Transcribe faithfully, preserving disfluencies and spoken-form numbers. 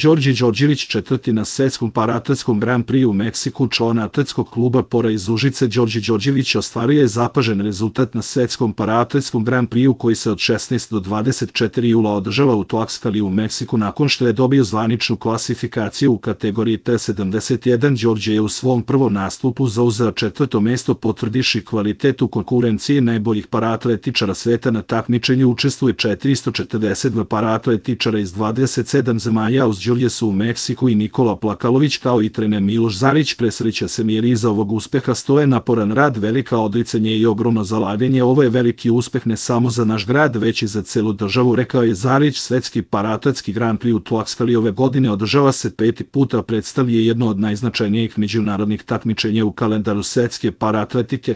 Đorđe Đorđević četvrti na svetskom paraatletskom Grand Prix u Meksiku. Član atletskog kluba Pora iz Užice Đorđe Đorđević ostvario je zapažen rezultat na svetskom paraatletskom Grand Prix koji se od šesnaestog do dvadeset četvrtog jula održava u Tlaxcali u Meksiku nakon što je dobio zvaničnu klasifikaciju u kategoriji T sedamdeset jedan. Đorđe je u svom prvom nastupu zauzeo četvrto mesto potvrdivši kvalitet u konkurenciji najboljih paraatletičara sveta. Na takmičenju učestvuje četiristo četrdeset dva paraatletičara iz dvadeset sedam zemalja. Uz Đorđe su u Meksiku i Nikola Plakalović kao i trener Miloš Zarić. Presreća se mir iza ovog uspeha stoje naporan rad, velika odricanje i ogromno zalaganje. Ovo je veliki uspeh ne samo za naš grad, već i za celu državu, rekao je Zarić. Svetski paraatletski Grand Prix u Tlaxcali ove godine održava se peti puta, predstavlja jedno od najznačajnijih međunarodnih takmičenja u kalendaru svetske paraatletike.